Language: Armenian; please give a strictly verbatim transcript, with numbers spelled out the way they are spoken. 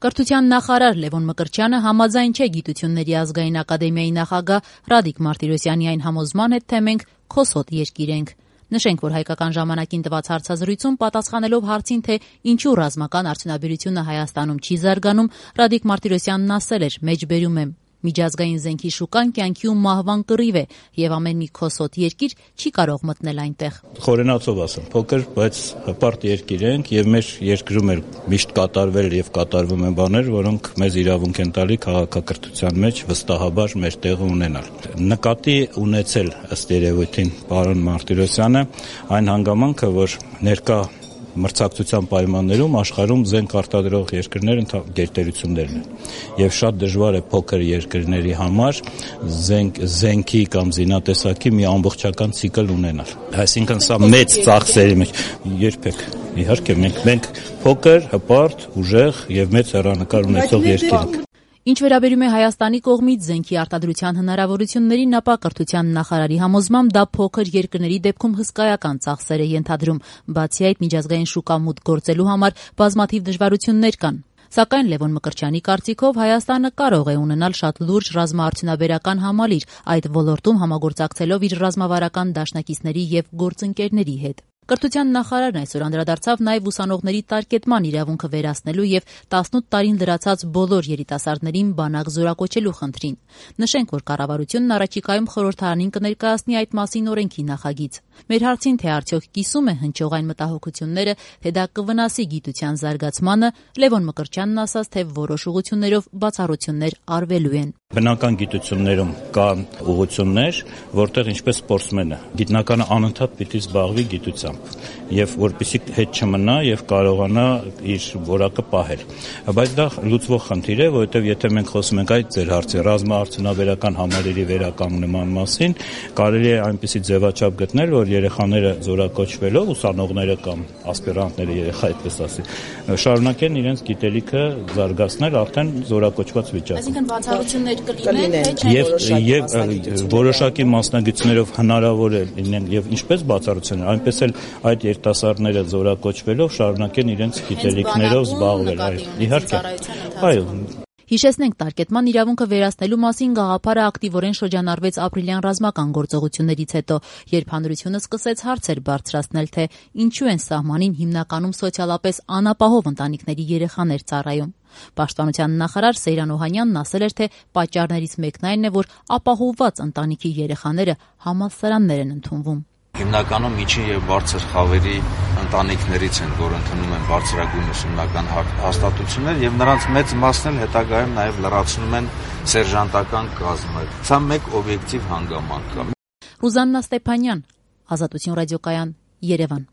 Կրթության նախարար Լևոն Մկրտչյանը համաձայն չէ Գիտությունների ազգային ակադեմիայի նախագահ Ռադիկ Մարտիրոսյանի այն համոզման հետ, թե մենք քոսոտ երկիր ենք։ Նշենք, որ Հայկական ժամանակին տված հարցազրույցում պատասխանելով հարցին, թե ինչու ռազմական արդյունաբերությունը Հայաստանում չի զարգանում, Ռադիկ Մարտիրոսյանն ասել էր. «Մեջբերում եմ, միջազգային զենքի շուկան կյանքի ու մահվան կռիվ է, եւ ամեն մի քոսոտ երկիր չի կարող մտնել այնտեղ»։ Խորենացով ասեմ, փոքր, բայց հպարտ երկիր ենք եւ մեր երկրում էլ միշտ կատարվել եւ կատարվում են բաներ, որոնք մեզ իրավունք են տալի քաղաքակրթության մեջ վստահաբար մեր տեղը ունենալ։ Նկատի ունեցել ըստ երևույթին պարոն Մարտիրոսյանը այն հանգամանքը, որ ներկա մրցակցության պայմաններում աշխարհում զենք արտադրող երկրները գերտերություններն են եւ շատ դժվար է փոքր երկրների համար զենք զենքի կամ զինատեսակի մի ամբողջական ցիկլ ունենալ։ Այսինքն սա մեծ ծախսերի մեջ երբեք իհարկե մենք մենք փոքր, հպարտ, ուժեղ եւ մեծ հեռանկար ունեցող երկիր ենք։ Ինչ վերաբերում է Հայաստանի կողմից զենքի արտադրության հնարավորություններին, ապա կրթության նախարարի համոզմամբ դա փոքր երկրների դեպքում հսկայական ծախսեր է ենթադրում։ Բացի այդ, միջազգային շուկա մուտք գործելու համար բազմաթիվ դժվարություններ կան։ Սակայն Լևոն Մկրտչյանի կարծիքով Հայաստանը կարող է ունենալ շատ լուրջ ռազմաարդյունաբերական համալիր, այդ ոլորտում համագործակցելով իր ռազմավարական դաշնակիցների եւ գործընկերների հետ։ Կրթության նախարարն այսօր անդրադարձավ նաև ուսանողների տարկետման իրավունքը վերացնելու եւ տասնութ տարին լրացած բոլոր երիտասարդներին բանակ զորակոչելու խնդրին։ Նշենք, որ կառավարությունն առաջիկայում խորհրդարանին կներկայացնի այդ մասին օրենքի նախագիծ։ Մեր հարցին, թե արդյոք կիսում է հնչող այն մտահոգությունները, թե դա կվնասի գիտության զարգացմանը, Լևոն Մկրտչյանն ասաց, թե որոշ ուղղություններով բացառություններ արվելու են։ Բնական գիտություններում կա ուղղություններ, որտեղ ինչպես սպորտսմենը, գիտնականը անընդհատ պիտի զբաղվի գիտությամբ եւ որպեսզի հետ չմնա եւ կարողանա իր որակը պահել։ Բայց դա լուծվող խնդիր է, որովհետեւ եթե մենք խոսում ենք այդ ձեր հարցի ռազմաարդյունաբերական համալիրի վերականգնման մասին, կարելի է այնպիսի ձևաչափ գտնել, որ երեխաները զորակոչվելով, ուսանողները կամ ասպիրանտները, երեխա այդպես ասի, շարունակեն իրենց գիտելիքը զարգացնել արդեն զորակոչված վիճակում։ Այսինքն բացառություններ կլինեն, եւ եւ որոշակի մասնագետներով հնարավոր է լինեն եւ ինչպես բացառություններ, այնպես էլ այդ երիտասարդները զորակոչվելով շարունակեն իրենց գիտելիքներով զբաղվել, այո, իհարկե։ Այո։ Հիշեցնենք, տարկետման իրավունքը վերացնելու մասին գաղափարը ակտիվորեն շրջանառվեց ապրիլյան ռազմական գործողություններից հետո, երբ հանրությունը սկսեց հարցեր բարձրացնել, թե ինչու են սահմանին հիմնականում սոցիալապես անապահով ընտանիքների երեխաներ ծառայում։ Պաշտպանության նախարար Սեյրան Օհանյանն ասել էր, թե պատճառներից մեկն այն է, որ ապահովված ընտանիքի երեխաները համալսարաններ են ընդունվում։ Հիմնականում միջին եւ բարձր խավերի ընտանիքներից են, որ ընդունում են բարձրագույն ուսումնական հաստատություններ եւ նրանց մեծ մասն էլ հետագայում նաեւ լրացնում են սերժանտական կազմը։ Սա մեկ օբյեկտիվ հանգամանք է։ Ռուզաննա Ստեփանյան, Ազատություն ռադիոկայան, Երևան։